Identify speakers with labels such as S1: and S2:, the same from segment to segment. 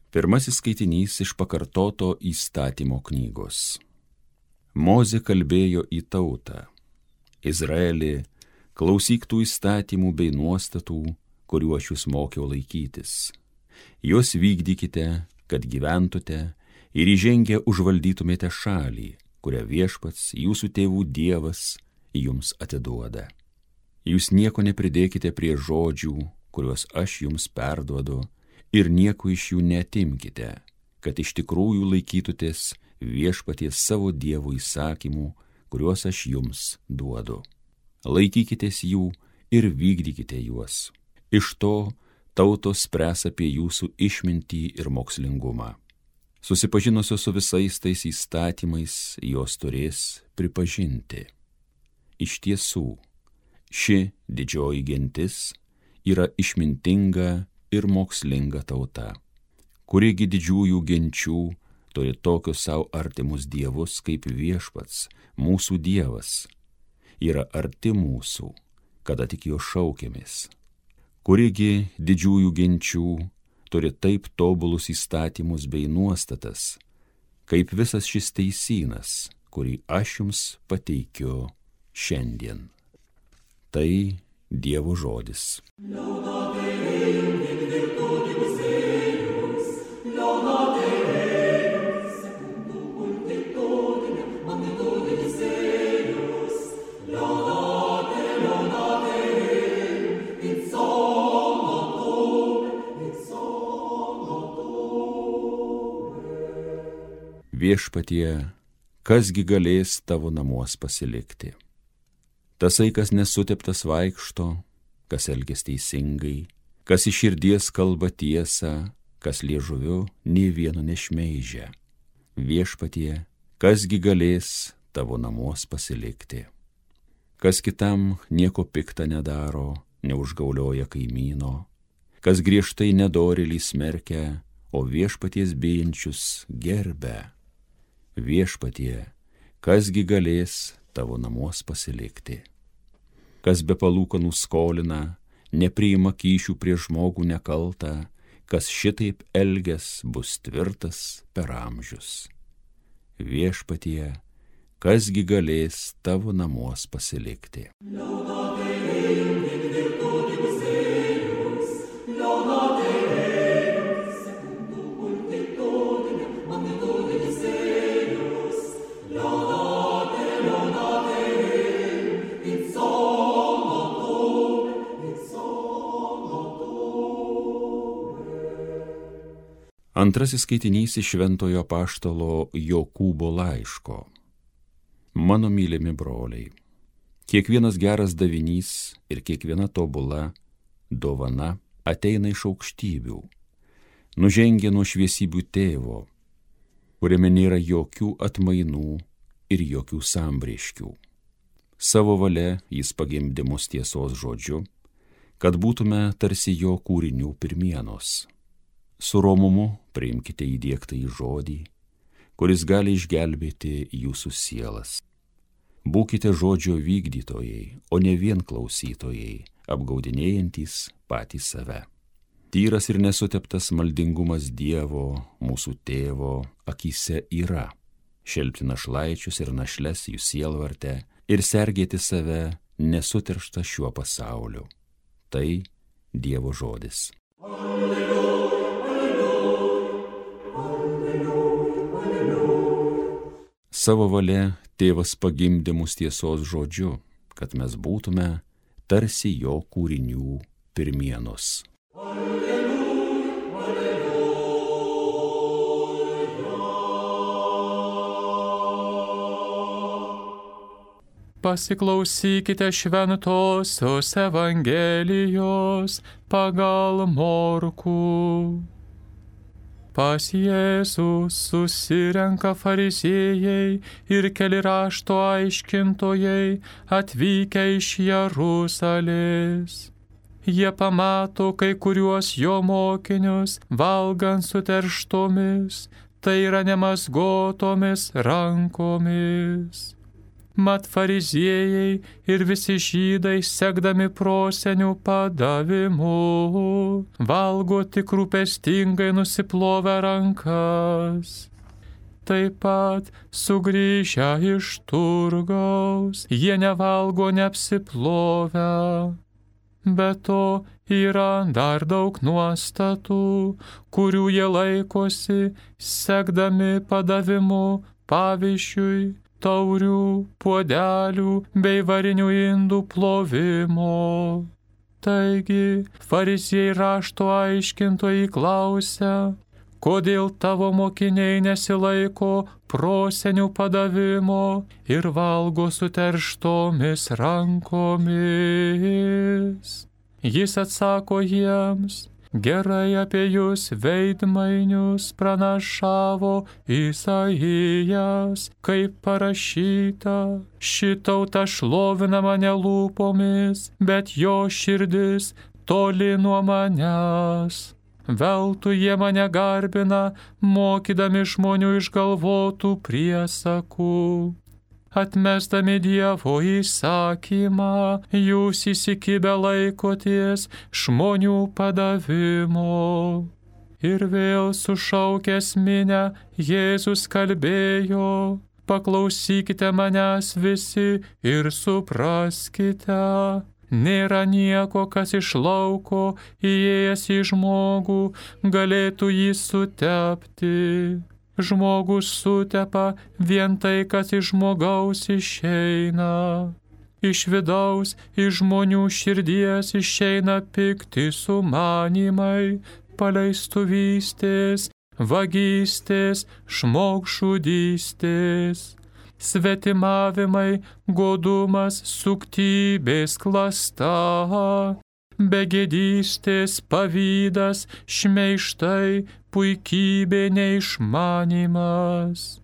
S1: Pirmasis skaitinys iš pakartoto įstatymo knygos. Mozė kalbėjo į tautą: Izraeli, klausyk tų įstatymų bei nuostatų, kuriuo aš jūs mokiau laikytis. Juos vykdykite, kad gyventumėte ir įžengę užvaldytumėte šalį, kurią Viešpats, jūsų tėvų Dievas, jums atiduoda. Jūs nieko nepridėkite prie žodžių, kuriuos aš jums perduodu, ir nieko iš jų neatimkite, kad iš tikrųjų laikytutės Viešpaties savo Dievo įsakymų, kuriuos aš jums duodu. Laikykitės jų ir vykdykite juos. Iš to tautos spręs apie jūsų išmintį ir mokslingumą. Susipažinusios su visais tais įstatymais, jos turės pripažinti: iš tiesų, ši didžioji gentis yra išmintinga ir mokslinga tauta, kurigi didžiųjų genčių turi tokius savo artimus dievus kaip Viešpats, mūsų Dievas, yra arti mūsų, kada tik jo šaukiamės. Kurigi didžiųjų genčių turi taip tobulus įstatymus bei nuostatas, kaip visas šis teisynas, kurį aš jums pateikiu šiandien. Tai Dievo žodis. Viešpatie, kasgi galės tavo namuos pasilikti? Tasai, kas nesuteptas vaikšto, kas elgias teisingai, kas iš širdies kalba tiesą, kas liežuviu nė vieno nešmeižia. Viešpatie, kasgi galės tavo namuos pasilikti? Kas kitam nieko pikta nedaro, neužgaulioja kaimyno, kas griežtai nedorėlį smerkia, o Viešpaties bijančius gerbia. Viešpatie, kasgi galės tavo namuos pasilikti? Kas be palūkanų skolina, nepriima kyšių prie žmogų nekaltą, kas šitaip elgias, bus tvirtas per amžius. Viešpatie, kasgi galės tavo namuos pasilikti? Antrasis skaitinys iš Šventojo apaštalo Jokūbo laiško. Mano mylimi broliai, kiekvienas geras davinys ir kiekviena tobula dovana ateina iš aukštybių, nužengia nuo šviesybių tėvo, kuriame nėra jokių atmainų ir jokių sambrėškių. Savo valia jis pagimdė mus tiesos žodžiu, kad būtume tarsi jo kūrinių pirmienos. Su romumu priimkite įdiegtą į žodį, kuris gali išgelbėti jūsų sielas. Būkite žodžio vykdytojai, o ne vien klausytojai, apgaudinėjantys patys save. Tyras ir nesuteptas maldingumas Dievo, mūsų tėvo, akyse yra šelpti našlaičius ir našles jų sielvarte ir sergėti save nesuterštą šiuo pasauliu. Tai Dievo žodis. Savo valia tėvas pagimdė mus tiesos žodžiu, kad mes būtume tarsi jo kūrinių pirmienos.
S2: Pasiklausykite šventosios Evangelijos pagal Morkų. Pas Jėzus susirenka fariziejai ir keli rašto aiškintojai atvykę iš Jeruzalės. Jie pamato kai kuriuos jo mokinius valgant suterštomis, tai yra nemazgotomis rankomis. Mat fariziejai ir visi žydai, sekdami prosenių padavimu, valgo tik rūpestingai nusiplovę rankas. Taip pat sugrįžę iš turgaus, jie nevalgo neapsiplovę. Be to yra dar daug nuostatų, kurių jie laikosi, sekdami padavimu, pavyzdžiui, taurių, puodelių bei varinių indų plovimo. Taigi, fariziejai rašto aiškintojai klausia, kodėl tavo mokiniai nesilaiko prosenių padavimo ir valgo suterštomis rankomis. Jis atsako jiems, gerai apie jūs veidmainius pranašavo Isaijas, kaip parašyta, ši tauta šlovina mane lūpomis, bet jo širdis toli nuo manęs. Veltui jie mane garbina, mokydami žmonių išgalvotų priesakų. Atmesdami Dievo įsakymą, jūs įsikibę laikotės žmonių padavimo. Ir vėl sušaukęs minią, Jėzus kalbėjo, paklausykite manęs visi ir supraskite. Nėra nieko, kas iš lauko įėjęs į žmogų galėtų jį sutepti. Žmogus sutepa vien tai, kas iš žmogaus išeina. Iš vidaus, iš žmonių širdies išeina pikti sumanymai, paleistuvystės, vagystės, žmogžudystės, svetimavimai, godumas, suktybės, klasta, begėdystės, pavydas, šmeižtai, puikybė, neišmanymas.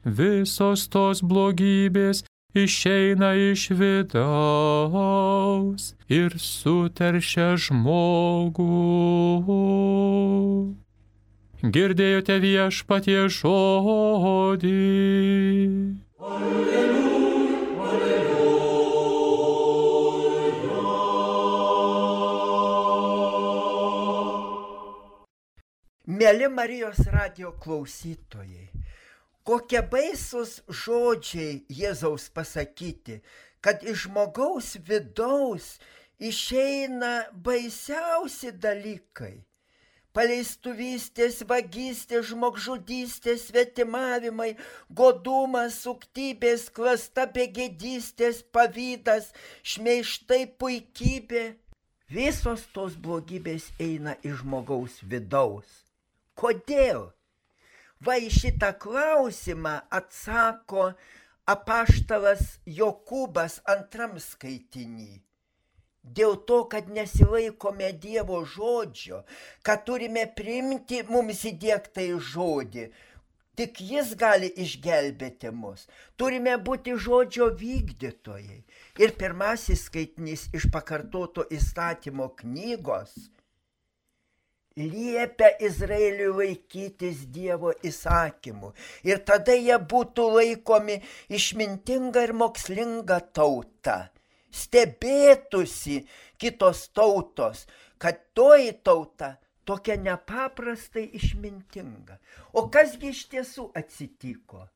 S2: Visos tos blogybės išeina iš vidaus ir suteršia žmogų. Girdėjote Viešpaties žodį.
S3: Mėly Marijos radijo klausytojai, kokie baisus žodžiai Jėzaus pasakyti, kad iš žmogaus vidaus išeina baisiausi dalykai. Paleistuvystės, vagystės, žmogžudystės, svetimavimai, godumas, suktybės, klasta, begėdystės, pavydas, šmeižtai, puikybė. Visos tos blogybės eina iš žmogaus vidaus. Kodėl? Va į šitą klausimą atsako apaštalas Jokūbas 2 skaitiny. Dėl to, kad nesilaikome Dievo žodžio, kad turime priimti mums įdiegtą žodį, tik jis gali išgelbėti mus. Turime būti žodžio vykdytojai. Ir pirmasis skaitinys iš pakartoto įstatymo knygos liepia Izraeliui laikytis Dievo įsakymų. Ir tada jie būtų laikomi išmintinga ir mokslinga tauta. Stebėtųsi kitos tautos, kad toji tauta tokia nepaprastai išmintinga. O kasgi iš tiesų atsitiko?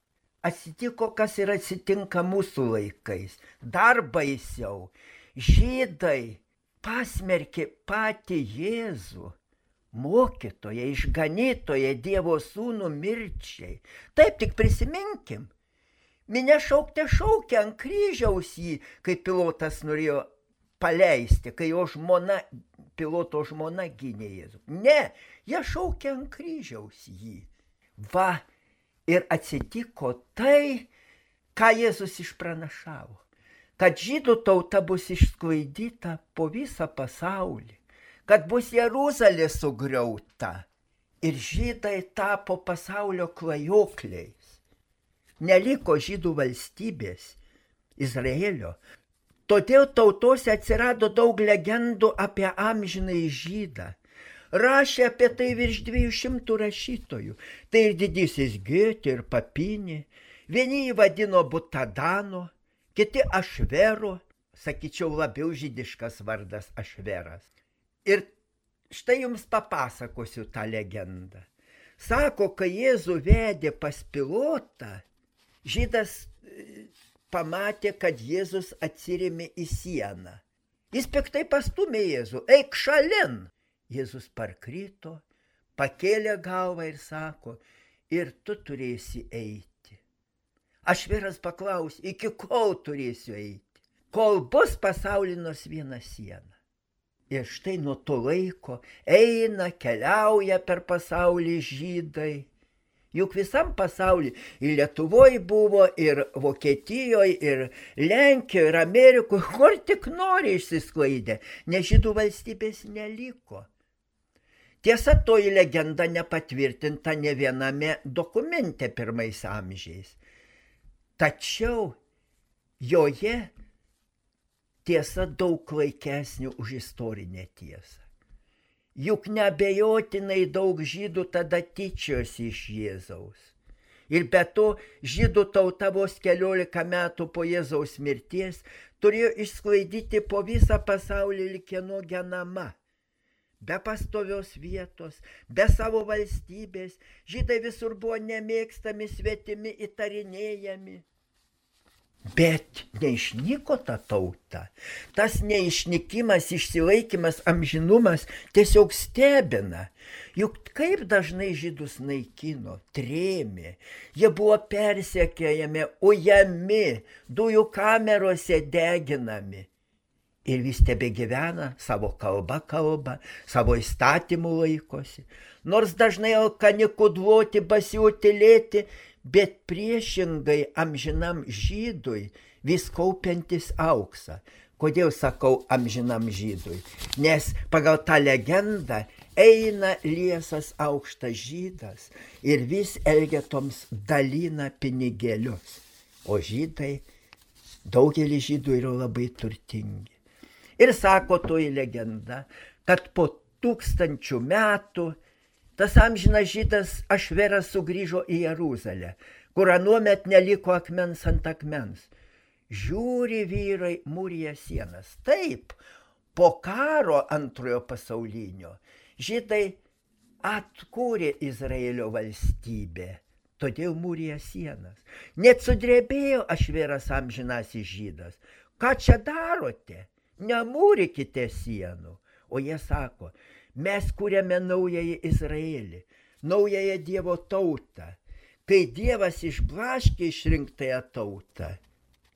S3: Atsitiko, kas ir atsitinka mūsų laikais. Dar baisiau. Žydai pasmerkė patį Jėzų, mokytoją, išganytoją, Dievo sūnų mirčiai. Taip, tik prisiminkim. Minia šaukė ant kryžiaus jį, kai Pilotas norėjo paleisti, kai jo žmona, Piloto žmona gynė Jėzų. Ne, jie šaukė ant kryžiaus jį. Va, ir atsitiko tai, ką Jėzus išpranašavo, kad žydų tauta bus išsklaidyta po visą pasaulį, kad bus Jeruzalė sugriauta ir žydai tapo pasaulio klajokliais. Neliko žydų valstybės, Izraelio. Todėl tautose atsirado daug legendų apie amžinąjį žydą. Rašė apie tai virš 200 rašytojų. Tai ir didysis Gėtė, ir Papinė. Vieni jį vadino Butadano, kiti Ašvero, sakyčiau, labiau žydiškas vardas Ašveras. Ir štai jums papasakosiu tą legendą. Sako, kai Jėzų vedė pas Pilotą, žydas pamatė, kad Jėzus atsirėmė į sieną. Jis piktai pastumė Jėzų, eik šalin. Jėzus parkrito, pakėlė galvą ir sako, ir tu turėsi eiti. Ašveras paklausė, iki kol turėsiu eiti? Kol bus pasauly nors viena siena. Ir štai nuo to laiko eina, keliauja per pasaulį žydai. Juk visam pasauly, ir Lietuvoje buvo, ir Vokietijoje, ir Lenkijoje, ir Amerikoje, kur tik nori išsisklaidė, nes žydų valstybės neliko. Tiesa, toji legenda nepatvirtinta ne viename dokumente pirmais amžiais. Tačiau joje tiesa daug klaikesnė už istorinę tiesą. Juk neabejotinai daug žydų tada tyčiosi iš Jėzaus. Ir be to, žydų tauta vos 14 metų po Jėzaus mirties turėjo išsklaidyti po visą pasaulį lyg kieno genama. Be pastovios vietos, be savo valstybės, žydai visur buvo nemėgstami, svetimi, įtarinėjami. Bet neišnyko ta tauta. Tas neišnykimas, išsilaikymas, amžinumas tiesiog stebina. Juk kaip dažnai žydus naikino, trėmė, jie buvo persekiojami, ujami, dujų kamerose deginami. Ir vis tebegyvena, savo kalbą kalba, savo įstatymų laikosi. Nors dažnai alkani kudloti, basiutilėti, bet priešingai amžinam žydui vis kaupiantis auksą. Kodėl sakau amžinam žydui? Nes pagal tą legendą eina liesas aukštas žydas ir vis elgetoms dalina pinigėlius. O žydai, daugelis žydų yra labai turtingi. Ir sako toji legenda, kad po 1000 metų tas amžinas žydas Ašveras sugrįžo į Jeruzalę, kur anuomet neliko akmens ant akmens. Žiūri vyrai, mūrija sienas. Taip, po karo antrojo pasaulinio žydai atkūrė Izraelio valstybę, todėl mūrija sienas. Net sudrebėjo Ašveras amžinasis žydas. Ką čia darote? Nemūrykite sienų. O jie sako, mes kūrėme naująjį Izraelį, naująją Dievo tautą. Kai Dievas išblaškė išrinktąją tautą,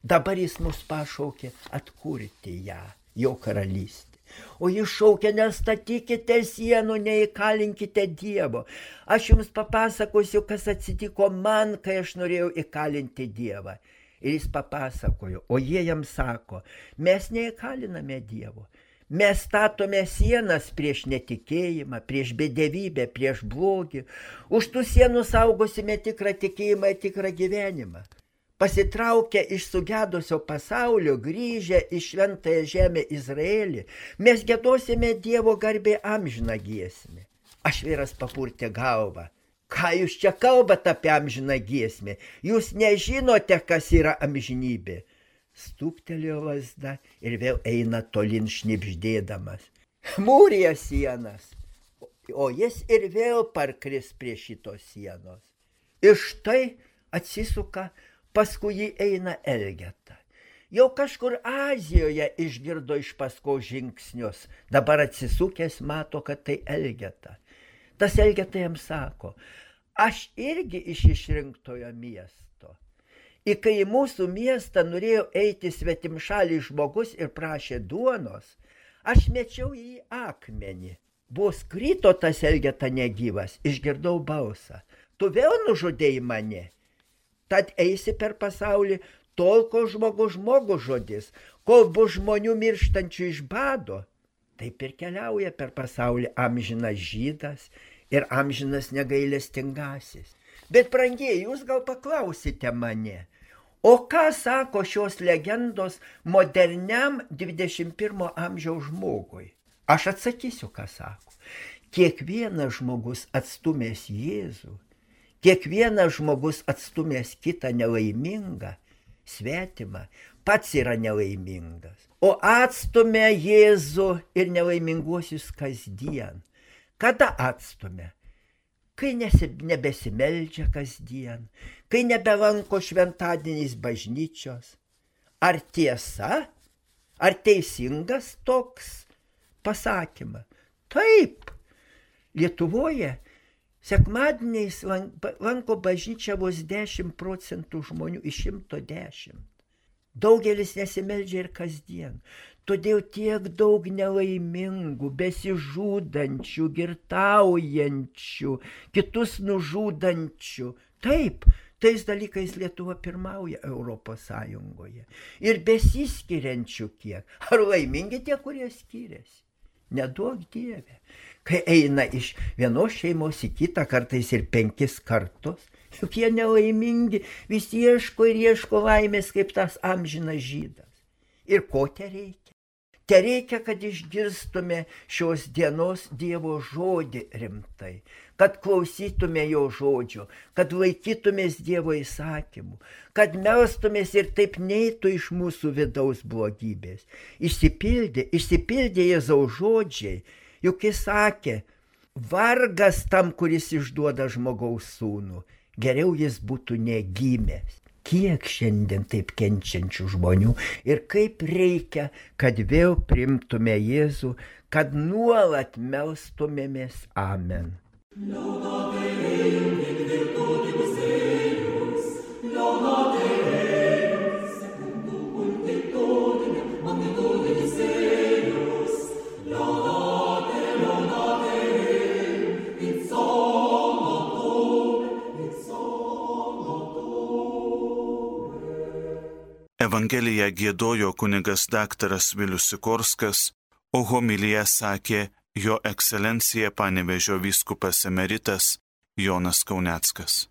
S3: dabar jis mus pašaukė atkurti ją, jo karalystę. O jis šaukia, nestatykite sienų, neįkalinkite Dievo. Aš jums papasakosiu, kas atsitiko man, kai aš norėjau įkalinti Dievą. Ir jis papasakojo, o jie jam sako, mes neįkaliname Dievo. Mes statome sienas prieš netikėjimą, prieš bedevybę, prieš blogį. Už tų sienų saugosime tikrą tikėjimą ir tikrą gyvenimą. Pasitraukę iš sugedusio pasaulio, grįžę į šventąją žemę Izraelį, mes giedosime Dievo garbė amžiną giesmę. Ašveras papurtė galvą. Ką jūs čia kalbat apie amžiną giesmę? Jūs nežinote, kas yra amžinybė. Stūptelėjo lazda ir vėl eina tolin šnibždėdamas. Mūrija sienas. O jis ir vėl parkris prie šitos sienos. Ir štai atsisuka, paskui jį eina Elgeta. Jau kažkur Azijoje išgirdo iš paskos žingsnius. Dabar atsisukęs mato, kad tai Elgeta. Tas Elgeta jam sako, aš irgi iš išrinktojo miesto. Ir kai į mūsų miestą norėjo eiti svetimšalis žmogus ir prašė duonos, aš mečiau į akmenį. Vos krito tas Elgeta negyvas, išgirdau balsą. Tu vėl nužudėjai mane. Tad eisi per pasaulį tol, kol žmogus žodis, kol bus žmonių mirštančių iš bado. Taip ir keliauja per pasaulį amžinas žydas ir amžinas negailestingasis. Bet, brangieji, jūs gal paklausite mane, o ką sako šios legendos moderniam 21 amžiaus žmogui? Aš atsakysiu, ką sako. Kiekvienas žmogus atstumęs Jėzų, kiekvienas žmogus atstumęs kitą nelaimingą, svetimą, pats yra nelaimingas. O atstumia Jėzų ir nelaiminguosius kasdien. Kada atstumia? Kai nebesimeldžia kasdien, kai nebelanko šventadieniais bažnyčios. Ar tiesa? Ar teisingas toks pasakymas? Taip, Lietuvoje sekmadieniais lanko bažnyčią vos 10% žmonių iš 110. Daugelis nesimeldžia ir kasdien. Todėl tiek daug nelaimingų, besižudančių, girtaujančių, kitus nužudančių. Taip, tais dalykais Lietuva pirmauja Europos Sąjungoje. Ir besiskiriančių kiek. Ar laimingi tie, kurie skiriasi? Neduok Dieve. Kai eina iš vienos šeimos į kitą, kartais ir 5 kartus, juk jie nelaimingi, vis ieško ir ieško laimės kaip tas amžinas žydas. Ir ko te reikia? Te reikia, kad išgirstume šios dienos Dievo žodį rimtai, kad klausytume jo žodžio, kad laikytumės Dievo įsakymų, kad melstumės ir taip neitų iš mūsų vidaus blogybės. Išsipildė Jėzaus žodžiai, juk jis sakė, vargas tam, kuris išduoda žmogaus sūnų, geriau jis būtų negimęs. Kiek šiandien taip kenčiančių žmonių ir kaip reikia, kad vėl priimtume Jėzų, kad nuolat melstumėmės. Amen.
S4: Evangeliją giedojo kunigas daktaras Vilius Sikorskas, o homiliją sakė jo ekscelencija Panevėžio vyskupas emeritas Jonas Kauneckas.